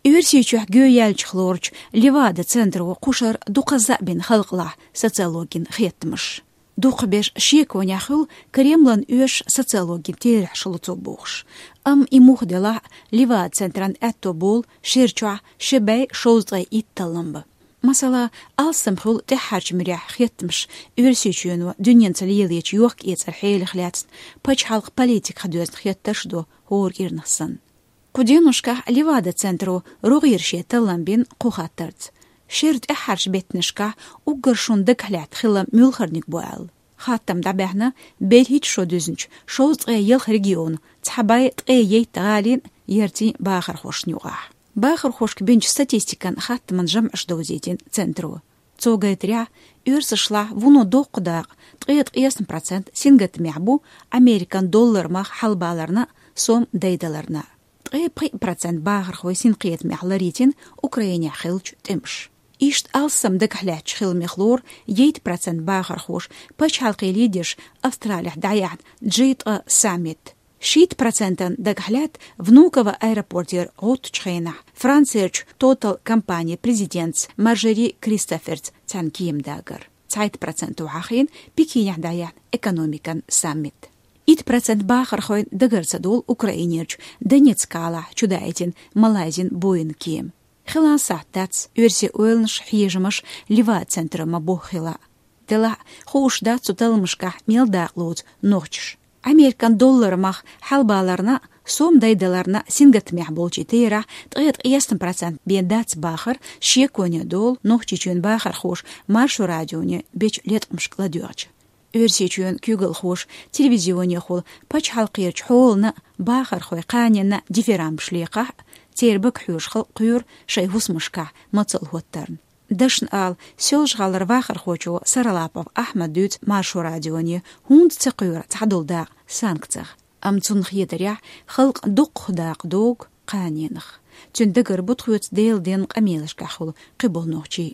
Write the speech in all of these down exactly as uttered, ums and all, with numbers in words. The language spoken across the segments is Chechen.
Оьрсийчохь гӀоьнчух лоручу Левада центро кхушара дукха заьӀ бина халкъалахь социологин хеттамаш. Дукхахберш шеконехь хуьлу Кремлан оьшуш социологин терахьаш луцо бохуш. Амма и муха делахь а, Левада центран аьтто болу шерачохь ши бӀе шовзткъе итт таллам бан. Масала, алсам хуьлу тӀаьххьарчу муьрехь хеттамаш Оьрсийчоьно дуьненца лелочу йохк-эцаран хьелах лаьцна, пачхьалкхан политиках доьзна хеттарш до хӀора кӀирнах санна. Кху деношкахь Левада центро рогӀера шен таллам бина кху хаттарца: шеран тӀаьххьарчу беттанашкахь уггар шуна дагахь лаьтта хилам муьлхарниг бу аьлла. Хаттам дӀабаьхьна берхӀитта шо дуьзначу шовзткъе ялх регионан цхьа бӀе ткъе итт гӀалин, яртин бахархошна юкъахь. Бахархошка бинчу статистикан хаттаман жамӀаш довзийтина центро. Цо гайтарехь, оьрсашлахь вуно доккха дакъа, ткъе ткъаесна процент, сингаттамехь бу Американ доллар мах хьалабаларна а, сом дайдаларна а. Ткъе пхиъ процент бахархой синкхетамехь ларийна Украинехь хиллачу тӀемаша. Иштта алсам дагахь лаьттачу хиламех лору итт процент бахархоша пачхьалкхийн лидерша Австралехь дӀаяьхьна джи ткъа саммит. Шийтта процентана дагахь лаьтта Внуково аэропортера гӀоттучу хенахь Францерчу Total компанин президентца Маржери Кристоферца цхьаьна кема дагар. Цхьайтта процентана хьахийна Пекинехь дӀаяьхьна экономикан саммит. Итт процент бахархойн дагар ца долу Украинерчу Донецк-гӀалахь чудаийтина Малайзин Боинг кема. Хилла сахьт дац оьрсийн ойланаш, хьежамаш Левада центро ма-бохху хилла. Делахь а, хууш дац цу талламашкахь мел дакъа лоцу нохчаша. Американ доллар мах хьалабаларна а, сом дайдаларна а сингаттамехь болчийн терахь ткъе ткъаесна процент бен дац бахар шеконе долу Нохчийчоьнан бахархоша Маршо радионе бечу леткъамашка ладоьгӀча. Оьрсийчоьнан куьйгалхоша телевизионехула пачхьалкхерчу хьолана а, бахархойн кханенна а дифирамбаш лекхахь а, церан бага хьоьжуш халкъ кхоьру шайн хӀусамашкахь мацалла хӀоттарна. Дашна ала, Соьлжа-ГӀалара вахархочо Саралапов Ахьмада дуьйцу Маршо радионе хӀунда ца кхоьру цхьадолу дакъа санкцех. Амма цунна хетарехь, халкъан дуккха дакъа догу кханенах. Цуьнан дагара бу тхоьца Делан денна къамелашкахь хуьлу кхиболу нохчий.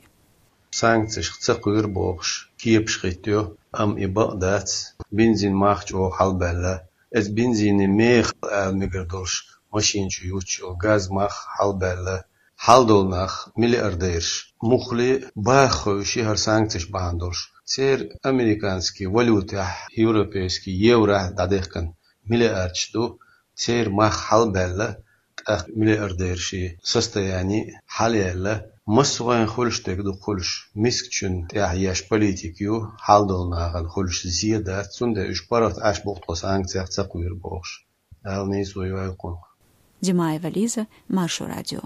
Санкцешка ца кхоьру бохуш, кепаш хӀиттайо, амма и бакъ дац. Бензин мах чӀогӀа хьалабаьлла. Иза бензинан меха ала мегар долуш, машина чу юттуш йолу газ мах хьалабаьлла. Хьал долу нах, миллиардераш, муххале а бахархой уьш хӀара санкцеш бахьана долуш. Церан американский валютехь, европейский еврохь дӀадехкина миллиардаш ду, церан мах хьалабаьлла, тӀаккха миллиардерийн состояние хьалаяьлла, массо а гӀайгӀа хуьлуш дерг ду хуьлуш, мискачун тӀехь еш политика ю, хьал долу нахана хуьлуш зен дац, цундела уьш паргӀат Ӏаш бу тхо санкцех ца кхоьру бохуш. Дала нийсо йойла кхунах. Димаева Лиза, Маршо радио.